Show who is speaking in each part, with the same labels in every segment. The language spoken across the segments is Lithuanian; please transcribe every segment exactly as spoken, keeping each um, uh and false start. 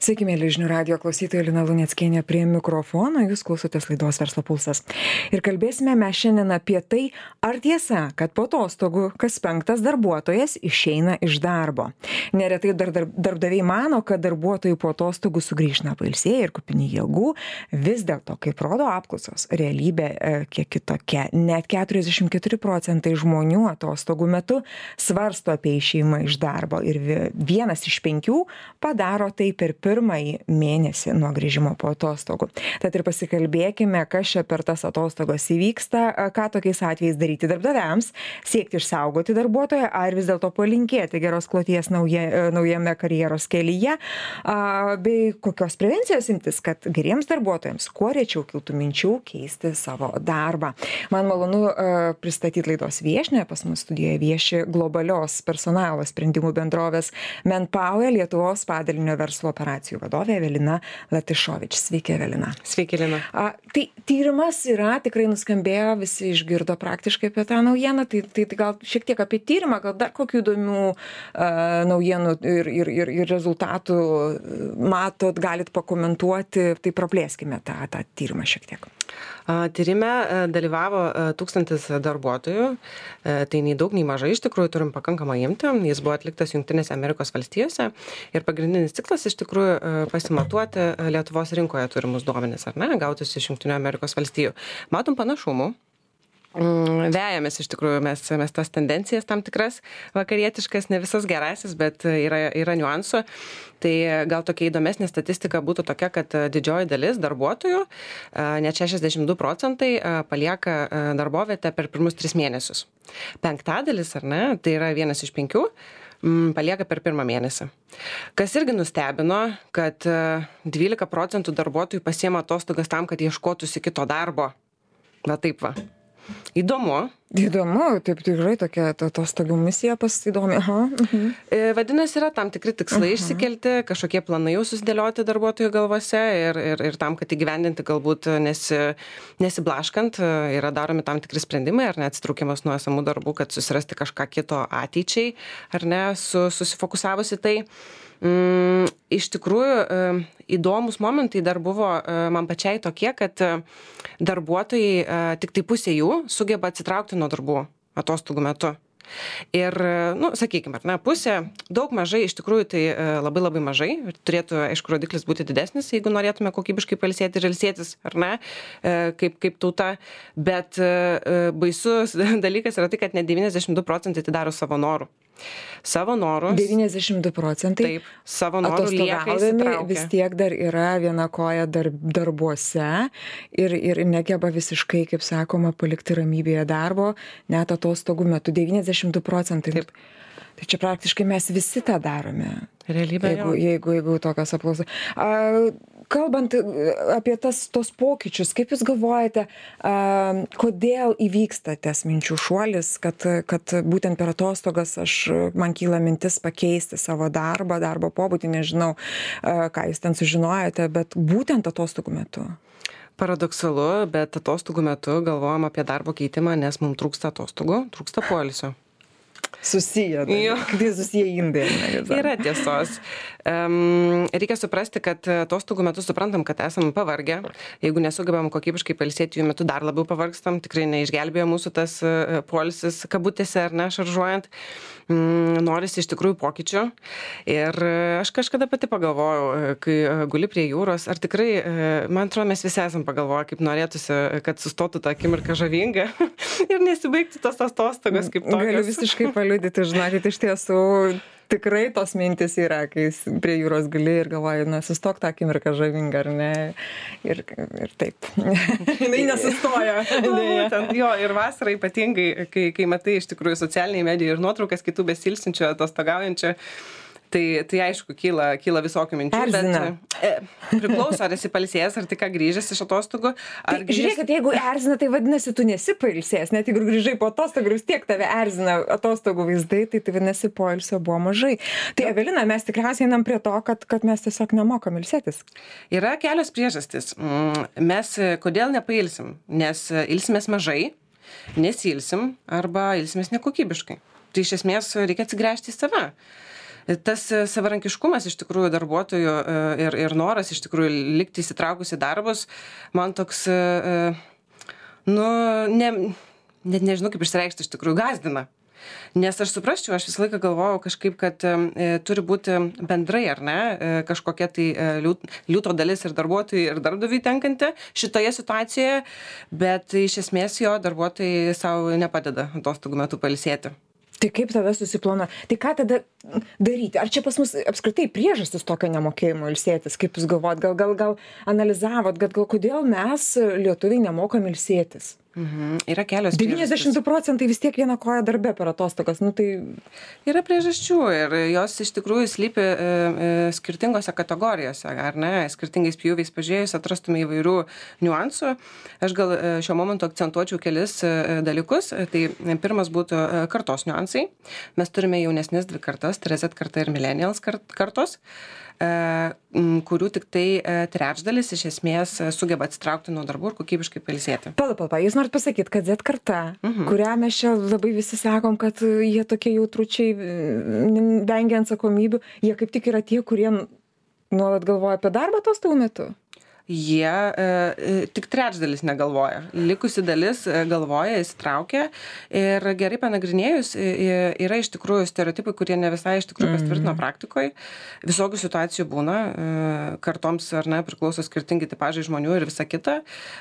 Speaker 1: Sveiki, mėly žinių radijo klausytojai, Lina Luneckienė prie mikrofono, jūs klausotės laidos Verslo pulsas. Ir kalbėsime mes šiandien apie tai, ar tiesa, kad po atostogų kas penktas darbuotojas išeina iš darbo. Neretai dar, dar, darbdaviai mano, kad darbuotojai po atostogų sugrįžna pailsėję ir kupini jėgų. Vis dėlto, kaip rodo apklausos, realybė e, kiek kitokia. Net keturiasdešimt keturi procentai žmonių atostogų metu svarsto apie išėjimą iš darbo ir vienas iš penkių padaro tai per pirmąjį mėnesį nuo grįžimo po atostogų. Tad ir pasikalbėkime, kas čia per tas atostogos įvyksta, ką tokiais atvejais daryti darbdaviams, siekti išsaugoti darbuotoją ar vis dėlto palinkėti geros kloties nauja, naujame karjeros kelyje, bei kokios prevencijos imtis, kad geriems darbuotojams kuo rečiau kiltų minčių keisti savo darbą. Man malonu pristatyti laidos viešnią, pas mus studijoje vieši globalios personalo sprendimų bendrovės Manpower Lietuvos padalinio verslo operacijų vadovė Evelina Latišovič. Sveiki, Evelina.
Speaker 2: Sveiki, Lina.
Speaker 1: A, tai tyrimas yra, tikrai nuskambėjo, visi išgirdo praktiškai apie tą naujieną, tai, tai, tai gal šiek tiek apie tyrimą, gal dar kokių įdomių uh, naujienų ir, ir, ir, ir rezultatų matot, galit pakomentuoti, tai praplėskime tą, tą tyrimą šiek tiek.
Speaker 2: Tyrime dalyvavo tūkstantis darbuotojų, tai nei daug, nei mažai, iš tikrųjų turim pakankamą imtį, jis buvo atliktas Jungtinėse Amerikos valstijose ir pagrindinis tikslas iš tikrųjų pasimatuoti Lietuvos rinkoje turimus duomenis, ar ne, gautus iš Jungtinių Amerikos valstijų. Matom panašumų. Vejamės iš tikrųjų mes, mes tas tendencijas tam tikras vakarietiškas, ne visas gerasis, bet yra, yra niuansų. Tai gal tokia įdomesnė statistika būtų tokia, kad didžioji dalis darbuotojų, net šešiasdešimt du procentai, palieka darbovietę per pirmus tris mėnesius. Penktadalis, ar ne, tai yra vienas iš penkių, palieka per pirmą mėnesį. Kas irgi nustebino, kad dvylika procentų darbuotojų pasiema atostogas tam, kad ieškotųsi kito darbo. Va taip va. Įdomu.
Speaker 1: Įdomu, taip tikrai tokia atostogų misija pasidomi. Aha. Mhm.
Speaker 2: Vadinasi, yra tam tikri tikslai Aha. išsikelti, kažkokie planai jau susidėlioti darbuotojų galvose ir, ir, ir tam, kad įgyvendinti galbūt nesi, nesiblaškant, yra daromi tam tikri sprendimai, ar ne atsitraukimas nuo esamų darbų, kad susirasti kažką kito ateičiai, ar ne, su, susifokusavusi tai. Mm, iš tikrųjų, įdomus momentai dar buvo man pačiai tokie, kad darbuotojai, tik tai pusė jų sugeba atsitraukti nuo darbų atostogų metu. Ir, nu, sakykime, ar ne, pusė, daug mažai, iš tikrųjų tai labai labai mažai, turėtų, aišku, rodiklis būti didesnis, jeigu norėtume kokybiškai pailsėti ir ilsėtis, ar ne, kaip, kaip tauta, bet baisus dalykas yra tai, kad net devyniasdešimt du procentai tai daro savo norų. Savo norus.
Speaker 1: devyniasdešimt du procentai.
Speaker 2: Taip, savo norų lieka įsitraukę.
Speaker 1: Vis tiek dar yra viena koja dar, darbuose ir, ir negeba visiškai, kaip sakoma, palikti ramybėje darbo, net atostogų metu. devyniasdešimt du procentai.
Speaker 2: Taip.
Speaker 1: Tai čia praktiškai mes visi tą darome.
Speaker 2: Realybė.
Speaker 1: Jeigu, jeigu, jeigu tokios apklausos. Kalbant apie tas, tos pokyčius, kaip Jūs galvojate, a, kodėl įvyksta tas minčių šuolis, kad, kad būtent per atostogas aš, man kyla mintis pakeisti savo darbą, darbo pobūdį, nežinau, a, ką Jūs ten sužinojote, bet būtent atostogų metu?
Speaker 2: Paradoksalu, bet atostogų metu galvojam apie darbo keitimą, nes mums trūksta atostogų, trūksta poilsio.
Speaker 1: Susiję. Tai susiję indai.
Speaker 2: Yra tiesos. Um, reikia suprasti, kad atostogų metu suprantam, kad esam pavargę. Jeigu nesugebam kokybiškai pailsėti, jų metu dar labiau pavargstam. Tikrai neišgelbėjo mūsų tas uh, poilsis kabutėse ar ne, šaržuojant. Um, norisi iš tikrųjų pokyčių. Ir uh, aš kažkada pati pagalvojau, uh, kai uh, guli prie jūros, ar tikrai, uh, man atrodo, mes visi esam pagalvoję, kaip norėtųsi, kad sustotų tą akimirką žavinga ir nesibaigtų tos atostogos kaip tokios.
Speaker 1: Galiu visiškai paliudyti, žinokit, iš tiesų tikrai tos mintis yra, kai prie jūros gali ir galvoji, na, sustok tą akimirką žavingą, ar ne? Ir, ir taip. Jinai nesustoja.
Speaker 2: Būtent, jo, ir vasarą ypatingai, kai, kai matai iš tikrųjų socialiniai medijai ir nuotraukas kitų besilsinčių, atostogaujančių, Tai, tai aišku, kyla, kyla visokių minčių.
Speaker 1: Erzina.
Speaker 2: Bet, e, priklauso, ar esi pailsėjęs, ar tik ką grįžęs iš atostogų.
Speaker 1: Tai, grįžęs... Žiūrėk, jeigu erzina, tai vadinasi, tu nesi pailsėjęs. Net jeigu grįžai po atostogų, vis tiek tave erzina atostogų vaizdai, tai tai vadinasi, poilsio buvo mažai. Tai Evelina, mes tikriausiai einam prie to, kad, kad mes tiesiog nemokam ilsėtis.
Speaker 2: Yra kelios priežastys. Mes kodėl nepailsim? Nes ilsimės mažai, nesilsim arba ilsimės nekokybiškai. Tai iš esmės reikia atsigręžti į save. tas savarankiškumas iš tikrųjų darbuotojų ir, ir noras iš tikrųjų likti įsitraukus į darbus, man toks, nu, ne, net nežinau kaip išsireikšti, iš tikrųjų gazdina. Nes aš suprasčiau, aš visą laiką galvojau kažkaip, kad e, turi būti bendrai, ar ne, e, kažkokia tai e, liūto dalis ir darbuotojai, ir darbdaviui tenkanti šitoje situacijoje, bet iš esmės jo darbuotojai savo nepadeda atostogų metu pailsėti.
Speaker 1: Tai kaip tada susiplanuoja? Tai ką tada daryti? Ar čia pas mus apskritai priežastis tokio nemokėjimo ilsėtis? Kaip jūs galvojat? Gal, gal, gal analizavot, gal, gal kodėl mes lietuviai nemokam ilsėtis?
Speaker 2: Mhm. Yra kelios priežastys.
Speaker 1: devyniasdešimt du procentai vis tiek viena koja darbe per atostogas. Nu, tai...
Speaker 2: Yra priežasčių ir jos iš tikrųjų slypi e, e, skirtingose kategorijose, ar ne? Skirtingais pjūviais pažiūrėjus atrastume įvairių niuansų. Aš gal šiuo momentu akcentuočiau kelis e, dalykus. Tai pirmas būtų e, kartos niuansai. Mes turime jaunesnės dvi kartas, tai yra Z karta ir millennials kartos, e, kurių tik tai trečdalis iš esmės sugeba atsitraukti nuo darbų ir kokybiškai pailsėti.
Speaker 1: Pala, pala, jūs norit pasakyti, kad Z karta, mhm. kurią mes čia labai visi sakom, kad jie tokie jautručiai, vengia atsakomybių, jie kaip tik yra tie, kurie nuolat galvoja apie darbą atostogų metu?
Speaker 2: Jie e, tik trečdalis negalvoja. Likusi dalis galvoja, įsitraukia ir gerai panagrinėjus e, yra iš tikrųjų stereotipai, kurie ne visai iš tikrųjų pasitvirtino praktikoje. Visokių situacijų būna, e, kartoms ar ne priklauso skirtingi tipažai žmonių ir visa kita,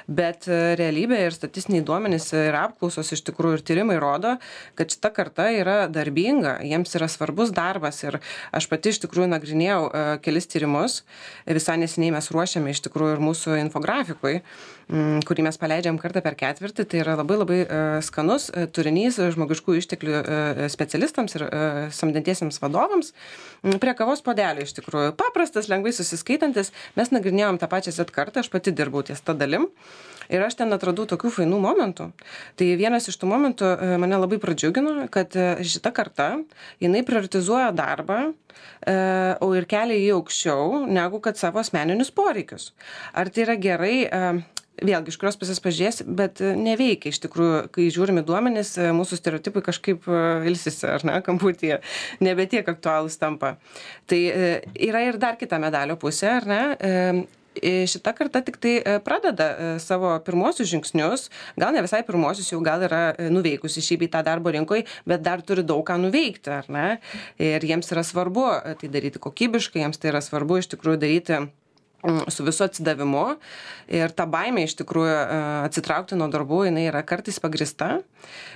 Speaker 2: bet realybė ir statistiniai duomenys ir apklausos iš tikrųjų ir tyrimai rodo, kad šita karta yra darbinga, jiems yra svarbus darbas ir aš pati iš tikrųjų nagrinėjau e, kelis tyrimus, visai neseniai mes ruošiame iš tikrųjų mūsų infografikui, kurį mes paleidžiam kartą per ketvirtį, tai yra labai labai skanus turinys žmogiškų išteklių specialistams ir samdantiesiems vadovams prie kavos puodelio iš tikrųjų. Paprastas, lengvai susiskaitantis, mes nagrinėjom tą pačią Z kartą, aš pati dirbau ties tą dalim. Ir aš ten atradau tokių fainų momentų. Tai vienas iš tų momentų mane labai pradžiugino, kad šita karta, jinai prioritizuoja darbą, o ir kelia jį aukščiau, negu kad savo asmeninius poreikius. Ar tai yra gerai, vėlgi, iš kurios pusės pažiūrės, bet neveikia iš tikrųjų, kai žiūrime duomenis, mūsų stereotipai kažkaip ilsisi, ar ne, kamputyje, nebe tiek aktualūs tampa. Tai yra ir dar kita medalio pusė, ar ne? Šita karta tik tai pradeda savo pirmosius žingsnius, gal ne visai pirmosius, jau gal yra nuveikusi šį bei tą darbo rinkoje, bet dar turi daug ką nuveikti, ar ne? Ir jiems yra svarbu tai daryti kokybiškai, jiems tai yra svarbu iš tikrųjų daryti su visu atsidavimu ir ta baimė iš tikrųjų atsitraukti nuo darbų, jinai yra kartais pagrįsta,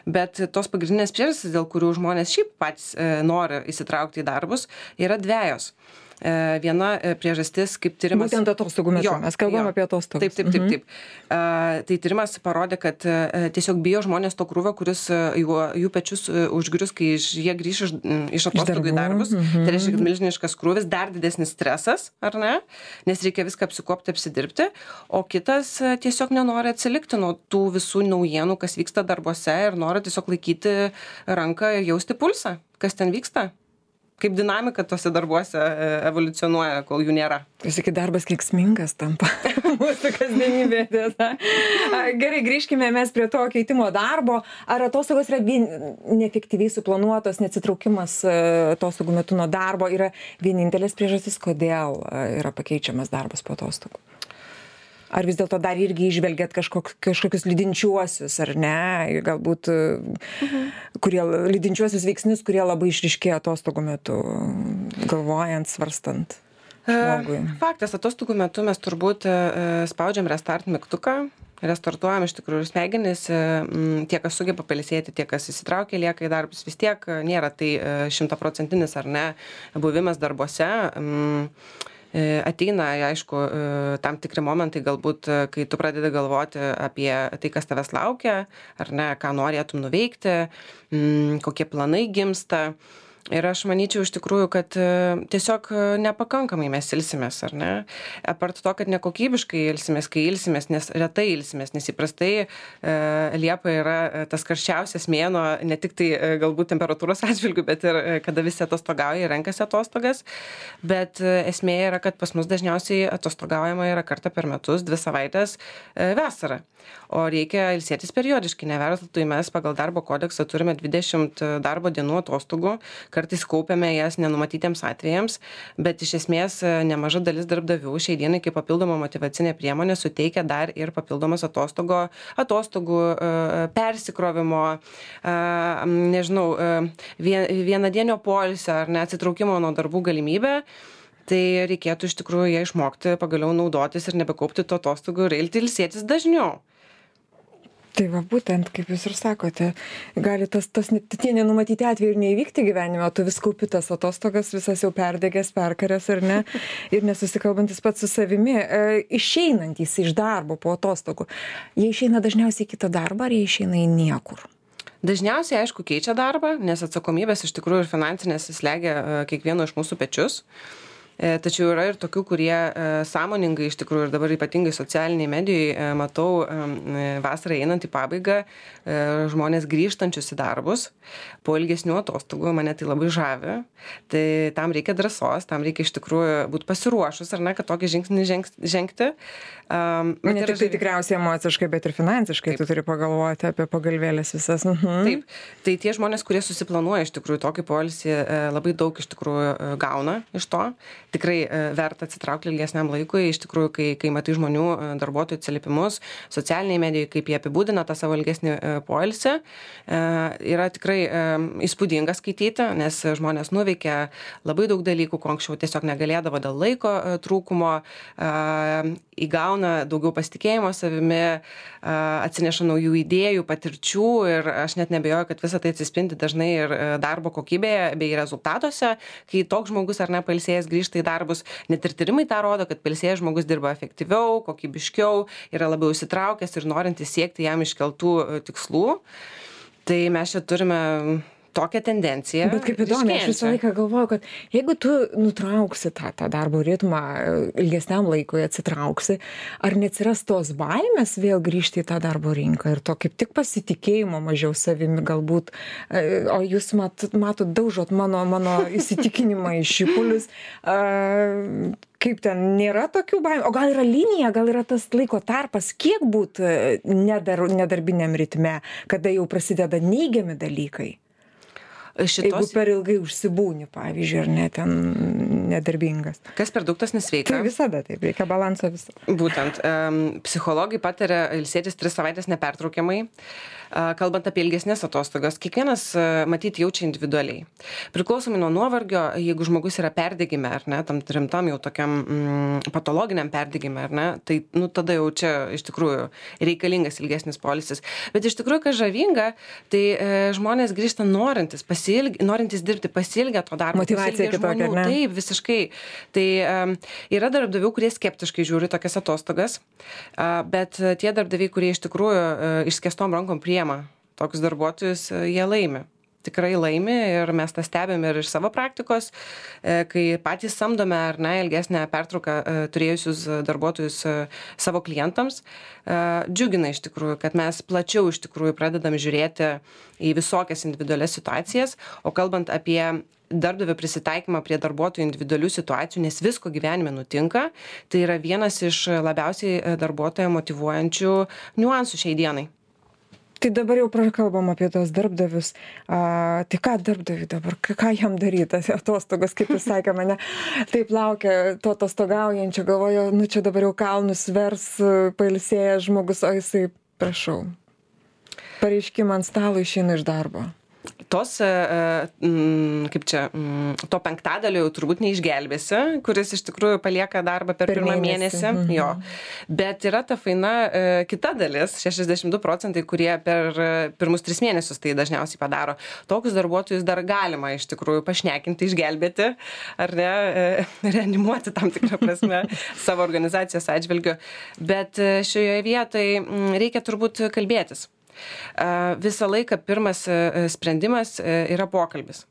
Speaker 2: bet tos pagrindinės priežastys, dėl kurių žmonės šiaip patys nori įsitraukti į darbus, yra dvejos. Viena priežastis, kaip tyrimas...
Speaker 1: Būtent atostogų metu, mes kalbam apie atostogas.
Speaker 2: Taip, taip, taip, taip. Mhm. Tai tyrimas parodė, kad tiesiog bijo žmonės to krūvio, kuris jų, jų pečius užgrius, kai jie grįš iš, iš atostogų į darbus. Mhm. Tai reiškia, kad milžiniškas krūvis, dar didesnis stresas, ar ne? Nes reikia viską apsikopti, apsidirbti. O kitas tiesiog nenori atsilikti nuo tų visų naujienų, kas vyksta darbuose ir nori tiesiog laikyti ranką ir jausti pulsą, kas ten vyksta. Kaip dinamika tose darbuose evoliucionuoja, kol jų nėra.
Speaker 1: Jūs sakykit, darbas kenksmingas tampa mūsų kasdienybė. Gerai, grįžkime mes prie to keitimo darbo. Ar atostogos yra vien, neefektyviai suplanuotos, neatsitraukimas atostogų metu nuo darbo yra vienintelės priežastis, kodėl yra pakeičiamas darbas po atostogų? Ar vis dėlto dar irgi išvelgiat kažkok, kažkokius lydinčiuosius, ar ne, galbūt, mhm. kurie, lydinčiuosius veiksnius, kurie labai išryškėjo atostogų metu, galvojant, svarstant žmogui?
Speaker 2: Faktas, atostogų metu mes turbūt spaudžiam restart mygtuką, restartuojam iš tikrųjų smegenis, tie, kas sugeba pailsėti, tie, kas įsitraukia, lieka į darbus, vis tiek nėra tai šimtaprocentinis ar ne buvimas darbuose. Ateina, aišku, tam tikri momentai galbūt, kai tu pradedi galvoti apie tai, kas tavęs laukia, ar ne, ką norėtum nuveikti, kokie planai gimsta. Ir aš manyčiau iš tikrųjų, kad tiesiog nepakankamai mes ilsimės, ar ne? Apart to, kad nekokybiškai ilsimės, kai ilsimės, nes retai ilsimės, nes įprastai e, Liepa yra tas karščiausias mėnuo, ne tik tai e, galbūt temperatūros atžvilgių, bet ir e, kada visi atostogauja ir renkasi atostogas. Bet e, esmė yra, kad pas mus dažniausiai atostogaujama yra kartą per metus, dvi savaitės e, vasarą. O reikia ilsėtis periodiškai, neverslui mes pagal darbo kodeksą turime dvidešimt darbo dienų atostogų, kartais kaupiame jas nenumatytiems atvejams, bet iš esmės nemaža dalis darbdavių šiai dienai kaip papildoma motyvacinė priemonė suteikia dar ir papildomas atostogo, atostogų, persikrovimo, nežinau, vienadienio poilsio ar ne atsitraukimo nuo darbų galimybę. Tai reikėtų iš tikrųjų ją išmokti, pagaliau naudotis ir nebekaupti to atostogų ir eiti ilsėtis dažniau.
Speaker 1: Tai va, būtent, kaip jūs ir sakote, gali tas, tas tie nenumatyti atvejai ir neįvykti gyvenime, o tu vis kaupi tas atostogas, visas jau perdegęs, perkaręs ar ne, ir nesusikalbantis pats su savimi. E, išeinantys iš darbo po atostogų, jie išeina dažniausiai į kitą darbą ar jie išeina į niekur?
Speaker 2: Dažniausiai, aišku, keičia darbą, nes atsakomybės iš tikrųjų ir finansinės slegia kiekvieno iš mūsų pečius. Tačiau yra ir tokių, kurie sąmoningai iš tikrųjų ir dabar ypatingai socialiniai medijai matau vasarą einant į pabaigą žmonės grįžtančius į darbus po ilgesnių atostogų, mane tai labai žavi. Tai tam reikia drąsos, tam reikia iš tikrųjų būti pasiruošus, ar ne, kad tokį žingsnį žengti.
Speaker 1: Um, ne tik tai tikriausiai emociškai, bet ir finansiškai. Taip. Tu turi pagalvoti apie pagalvėlės visas. Mhm.
Speaker 2: Taip, tai tie žmonės, kurie susiplanuoja iš tikrųjų tokį poilsį, labai daug iš tikrųjų gauna iš to. Tikrai verta atsitraukti ilgesniam laikui, iš tikrųjų, kai, kai matai žmonių darbuotojų atsiliepimus, socialiniai medijai, kaip jie apibūdina tą savo ilgesnį poilsį, yra tikrai įspūdinga skaityti, nes žmonės nuveikia labai daug dalykų, ko anksčiau tiesiog negalėdavo dėl laiko trūkumo, įgauna daugiau pasitikėjimo savimi, atsineša naujų idėjų, patirčių ir aš net nebejoju, kad visą tai atsispindi dažnai ir darbo kokybėje bei rezultatuose, kai toks žmogus ar ne pailsėjęs grįžta į darbus, net ir tyrimai tą rodo, kad pailsėjęs žmogus dirba efektyviau, kokybiškiau, yra labiau įsitraukęs ir norintis siekti jam iškeltų tikslų. Tai mes čia turime tokią tendenciją.
Speaker 1: Bet kaip įdomu, aš visą laiką galvoju, kad jeigu tu nutrauksi tą, tą darbo ritmą ilgesniam laikui, atsitrauksi, ar neatsiras tos baimės vėl grįžti į tą darbo rinką ir to kaip tik pasitikėjimo mažiau savimi galbūt, o jūs mat, matot, daužot mano, mano įsitikinimą į šipulius, kaip ten nėra tokių baimių, o gal yra linija, gal yra tas laiko tarpas, kiek būt nedar, nedarbiniam ritme, kada jau prasideda neigiami dalykai? Šitos... Jeigu per ilgai užsibūni, pavyzdžiui, ar ne ten nedarbingas.
Speaker 2: Kas per daug, tas nesveika.
Speaker 1: Tai visada taip, reikia balanso visą.
Speaker 2: Būtent. Um, psichologai pataria ilsėtis tris savaitės nepertraukiamai. Uh, kalbant apie ilgesnės atostogas, kiekvienas uh, matyt jaučia individualiai. Priklausomai nuo nuovargio, jeigu žmogus yra perdegime, ar ne, tam rimtam jau tokiam mm, patologiniam perdegime, ar ne, tai nu, tada jau čia iš tikrųjų reikalingas ilgesnis poilsis. Bet iš tikrųjų, kas žavinga, tai e, žmonės grįžta norintis pasitikti. Norintys dirbti pasilgę to darbo.
Speaker 1: Motyvacija kitokia, ne?
Speaker 2: Taip, visiškai. Tai um, yra darbdavių, kurie skeptiškai žiūri tokias atostogas, uh, bet tie darbdaviai, kurie iš tikrųjų uh, išskėstom rankom priema tokius darbuotojus, uh, jie laimi. Tikrai laimi ir mes tą stebėm ir iš savo praktikos, kai patys samdome ar ne ilgesnę pertrauką turėjusius darbuotojus savo klientams, džiugina iš tikrųjų, kad mes plačiau iš tikrųjų pradedam žiūrėti į visokias individualias situacijas, o kalbant apie darbdavio prisitaikymą prie darbuotojų individualių situacijų, nes visko gyvenime nutinka, tai yra vienas iš labiausiai darbuotoją motyvuojančių niuansų šiai dienai.
Speaker 1: Tai dabar jau prakalbam apie tos darbdavius. A, tai ką darbdaviui dabar, ką jam daryti, atostogos, kaip jūs sakė, mane taip laukia to atostogaujančio, galvoju, nu čia dabar jau kalnus vers pailsėjęs žmogus, o jisai, prašau, pareiškimą ant stalo išeina iš darbo.
Speaker 2: Tos, kaip čia, to penktadalio jau turbūt neišgelbėsi, kuris iš tikrųjų palieka darbą per, per pirmą mėnesį. mėnesį. Mhm. Jo. Bet yra ta faina kita dalis, šešiasdešimt du procentai, kurie per pirmus tris mėnesius tai dažniausiai padaro. Tokius darbuotojus dar galima iš tikrųjų pašnekinti, išgelbėti, ar ne, reanimuoti tam tikrą prasme savo organizacijos atžvilgiu. Bet šioje vietoje reikia turbūt kalbėtis. Visą laiką pirmas sprendimas yra pokalbis.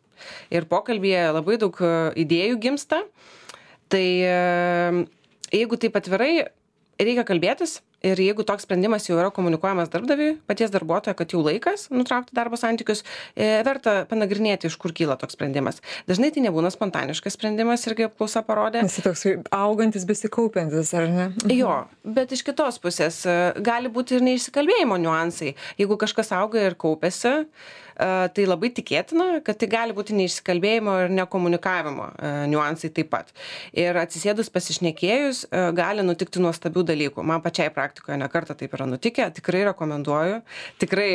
Speaker 2: Ir pokalbyje labai daug idėjų gimsta. Tai jeigu taip atvirai, reikia kalbėtis ir jeigu toks sprendimas jau yra komunikuojamas darbdaviui, paties darbuotojo, kad jau laikas nutraukti darbo santykius, verta panagrinėti, iš kur kyla toks sprendimas. Dažnai tai nebūna spontaniškas sprendimas, irgi apklausa parodė.
Speaker 1: Jis toks augantis, besikaupiantis, ar ne?
Speaker 2: Jo, bet iš kitos pusės gali būti ir neišsikalbėjimo niuansai. Jeigu kažkas auga ir kaupiasi, tai labai tikėtina, kad tai gali būti neišsikalbėjimo ir nekomunikavimo niuansai taip pat. Ir atsisėdus pasišnekėjus gali nutikti nuostabių dalykų. Man pačiai praktikoje nekartą taip yra nutikę, tikrai rekomenduoju, tikrai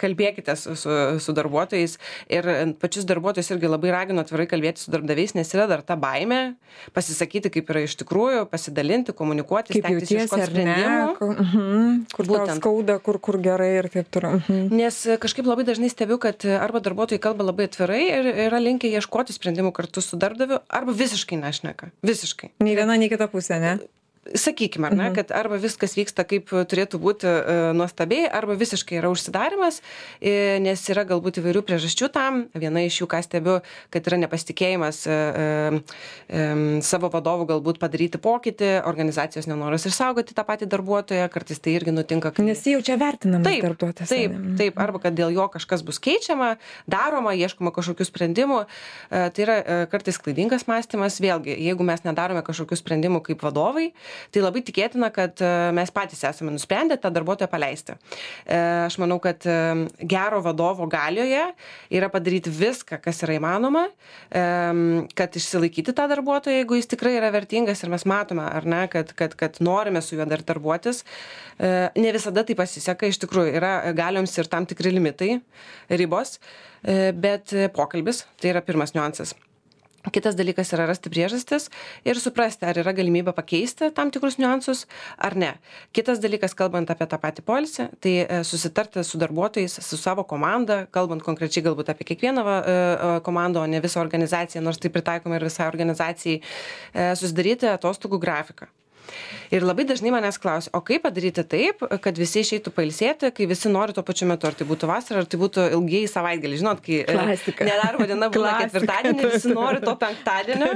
Speaker 2: kalbėkite su, su, su darbuotojais ir pačius darbuotojus irgi labai raginu atvirai kalbėti su darbdaviais, nes yra dar ta baimė pasisakyti, kaip yra iš tikrųjų, pasidalinti, komunikuoti,
Speaker 1: kaip
Speaker 2: stengtis ieškoti sprendimų.
Speaker 1: Kur, uh-huh, kur tau skauda, kur, kur gerai ir taip toliau. Uh-huh.
Speaker 2: Nes kažkaip labai dažnai stebiu, kad arba darbuotojai kalba labai atvirai ir yra linkę ieškoti sprendimų kartu su darbdaviu, arba visiškai nešneka. Visiškai.
Speaker 1: Nei viena, nei kita pusė, ne?
Speaker 2: Sakykime, ar ne, kad arba viskas vyksta kaip turėtų būti e, nuostabiai, arba visiškai yra užsidarimas, e, nes yra galbūt įvairių priežasčių tam. Viena iš jų, ką stebiu, kad yra nepasitikėjimas e, e, savo vadovų galbūt padaryti pokytį, organizacijos nenoras išsaugoti tą patį darbuotoją, kartais tai irgi nutinka. Kai...
Speaker 1: Nes jau čia vertinamas
Speaker 2: taip,
Speaker 1: darbuotojas.
Speaker 2: Taip, taip, arba kad dėl jo kažkas bus keičiama, daroma, ieškoma kažkokių sprendimų. E, tai yra e, kartais klaidingas mąstymas. Vėlgi, jeigu mes nedarome kažkokių sprendimų kaip vadovai, tai labai tikėtina, kad mes patys esame nusprendę tą darbuotoją paleisti. Aš manau, kad gero vadovo galioje yra padaryti viską, kas yra įmanoma, kad išsilaikyti tą darbuotoją, jeigu jis tikrai yra vertingas ir mes matome, ar ne, kad, kad, kad norime su juo dar darbuotis. Ne visada tai pasiseka, iš tikrųjų yra galioms ir tam tikri limitai, ribos, bet pokalbis, tai yra pirmas niuansas. Kitas dalykas yra rasti priežastis ir suprasti, ar yra galimybė pakeisti tam tikrus niuansus ar ne. Kitas dalykas, kalbant apie tą patį poilsį, tai susitarti su darbuotojais, su savo komanda, kalbant konkrečiai galbūt apie kiekvieną komandą, o ne visą organizaciją, nors tai pritaikoma ir visai organizacijai, susidaryti atostogų grafiką. Ir labai dažnai manęs klausia, o kaip padaryti taip, kad visi išeitų pailsėti, kai visi nori tuo pačiu metu, ar tai būtų vasara, ar tai būtų ilgiai savaitgalį. Žinot, kai
Speaker 1: Klasika.
Speaker 2: nedarbo diena būna ketvirtadienį, visi nori to penktadienio.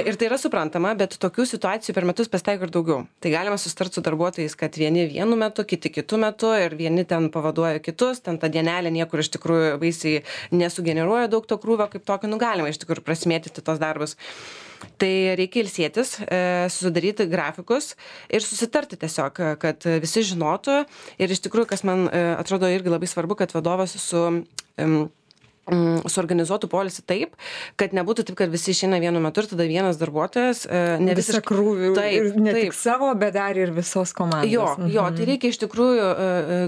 Speaker 2: Ir tai yra suprantama, bet tokių situacijų per metus pasitaiko ir daugiau. Tai galima susitarti su darbuotojais, kad vieni vienu metu, kiti kitu metu ir vieni ten pavaduoja kitus, ten ta dienelė niekur iš tikrųjų baisiai nesugeneruoja daug to krūvio kaip tokio, nu galima iš tikrųjų prasimėtyti tos darbus. Tai reikia ilsėtis, susidaryti grafikus ir susitarti tiesiog, kad visi žinotų. Ir iš tikrųjų, kas man atrodo irgi labai svarbu, kad vadovas su... Um, suorganizuotų poilsį taip, kad nebūtų taip, kad visi išeina vienu metu ir tada vienas darbuotojas
Speaker 1: ne visą krūvį, taip, ne taip. Tik savo, bet dar ir visos komandos.
Speaker 2: Jo, jo, tai reikia iš tikrųjų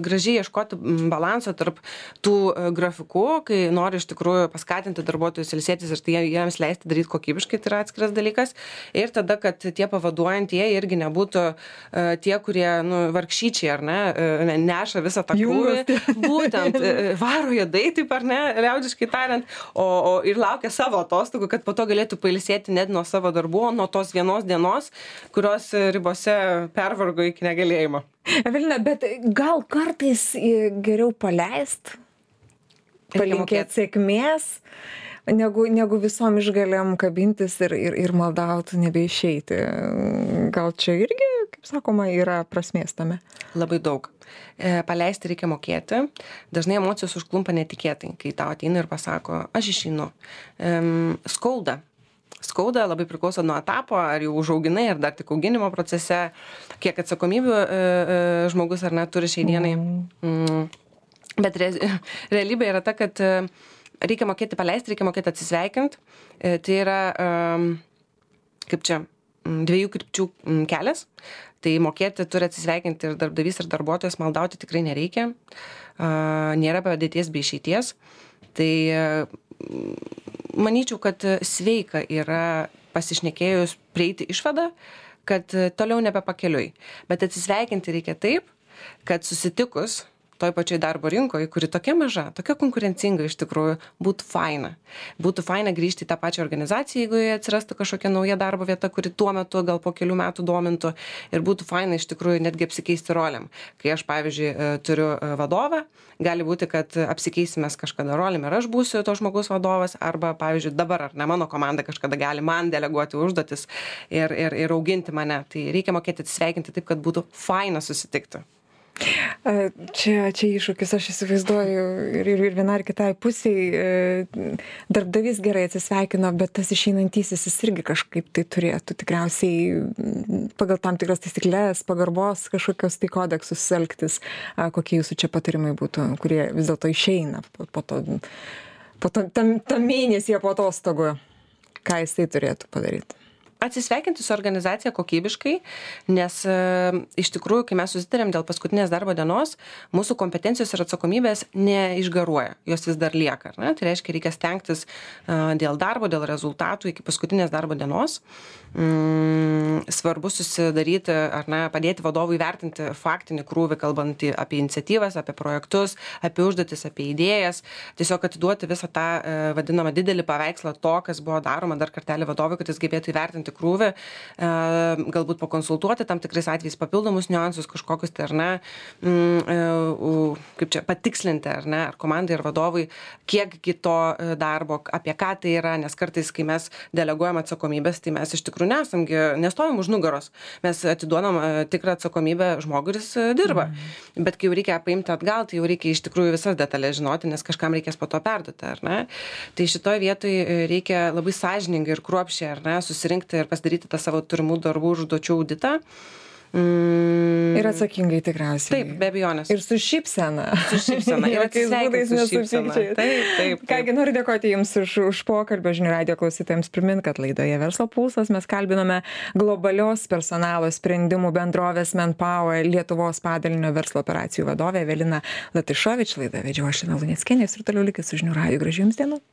Speaker 2: gražiai ieškoti balanso tarp tų grafikų, kai nori iš tikrųjų paskatinti darbuotojus ilsėtis ir tai jiems leisti daryti kokybiškai, tai yra atskiras dalykas. Ir tada, kad tie pavaduojantieji irgi nebūtų tie, kurie nu, vargšyčiai ar ne, neša visą tą krūvį. Būtent varo jėdai, taip ar ne, liaudžiai tariant, o, o ir laukia savo atostogų, kad po to galėtų pailsėti net nuo savo darbų, nuo tos vienos dienos, kurios ribose pervargo iki negalėjimo.
Speaker 1: Evelina, bet gal kartais geriau paleist, palinkėti sėkmės, negu, negu visom išgalėm kabintis ir, ir, ir maldauti nebeišeiti. Gal čia irgi, kaip sakoma, yra prasmės tame?
Speaker 2: Labai daug. Paleisti reikia mokėti. Dažnai emocijos užklumpa netikėtai, kai tau ateina ir pasako, aš išeinu. Skauda. Skauda labai priklauso nuo etapo, ar jau užauginai, ar dar tik auginimo procese, kiek atsakomybių žmogus ar net turi šiai dienai. Mm. Bet re, realybė yra ta, kad reikia mokėti paleisti, reikia mokėti atsisveikinti. Tai yra, kaip čia, dviejų krypčių kelias. Tai mokėti turi atsisveikinti ir darbdavys, ir darbuotojas, maldauti tikrai nereikia. Nėra padėties bei išeities. Tai manyčiau, kad sveika yra pasišnekėjus prieiti išvadą, kad toliau nebepakeliui. Bet atsisveikinti reikia taip, kad susitikus toj pačioj darbo rinkoje, kuri tokia maža, tokia konkurencinga iš tikrųjų, būtų faina. Būtų faina grįžti į tą pačią organizaciją, jeigu jie atsirastų kažkokia nauja darbo vieta, kuri tuo metu gal po kelių metų domintų ir būtų faina iš tikrųjų netgi apsikeisti rolėm. Kai aš, pavyzdžiui, turiu vadovą, gali būti, kad apsikeisimės kažkada rolėm ir aš būsiu to žmogaus vadovas, arba, pavyzdžiui, dabar ar ne mano komanda kažkada gali man deleguoti užduotis ir, ir, ir auginti mane. Tai reikia mokėti atsisveikinti taip, kad būtų faina susitikti.
Speaker 1: Čia, čia iššūkis, aš įsivaizduoju, ir, ir vienai ar kitai pusiai darbdavys gerai atsisveikino, bet tas išeinantysis jis irgi kažkaip tai turėtų tikriausiai pagal tam tikras taisyklės, pagarbos kažkokios tai kodeksus elgtis. Kokie jūsų čia patarimai būtų, kurie vis dėlto išeina po, po to, po to tam, tam mėnesį po atostogų? Ką jis tai turėtų padaryti?
Speaker 2: Atsisveikinti su organizacija kokybiškai, nes e, iš tikrųjų, kai mes susitarėm dėl paskutinės darbo dienos, mūsų kompetencijos ir atsakomybės neišgaruoja, jos vis dar lieka. Ne? Tai reiškia, reikia stengtis e, dėl darbo, dėl rezultatų iki paskutinės darbo dienos. Mm, svarbu susidaryti ar ne, padėti vadovui vertinti faktinį krūvį, kalbant apie iniciatyvas, apie projektus, apie užduotis, apie idėjas. Tiesiog atiduoti visą tą e, vadinamą didelį paveikslą to, kas buvo daroma dar kartelį vadovui, kad jis gebėtų įvertinti krūvį, galbūt pakonsultuoti tam tikrais atvejais papildomus niuansus kažkokius, tai ar ne, kaip čia, patikslinti, ar ne, ar komandai, ar vadovui, kiekgi to darbo, apie ką tai yra, nes kartais, kai mes deleguojam atsakomybės, tai mes iš tikrųjų nesamgi, nestovim už nugaros, mes atiduodam tikrą atsakomybę žmogui, kuris dirba, mm. bet kai jau reikia paimti atgal, tai jau reikia iš tikrųjų visas detalės žinoti, nes kažkam reikės po to perduoti, ar ne. Tai šitoje vietoje reikia labai sąžiningai ir kruopščiai, ar ne, susirinkti ir pasidaryti tą savo turimų darbų užduočių auditą.
Speaker 1: Mm. Ir atsakingai tikriausiai.
Speaker 2: Taip, be abejonės.
Speaker 1: Ir su šypsena.
Speaker 2: Su šypsena. Ir atsisveikinti su šypsena. Taip, taip, taip.
Speaker 1: Kągi, noriu dėkoti Jums už, už pokalbį. Žinių radijo klausytojams primint, kad laidoje Verslo pulsas mes kalbinome globalios personalo sprendimų bendrovės Manpower Lietuvos padalinio verslo operacijų vadovę Eveliną Latyšovič. Laidą vedžiau aš, Lina Luneckienė, ir toliau likit su Žinių radiju. Gražių Jums dienų.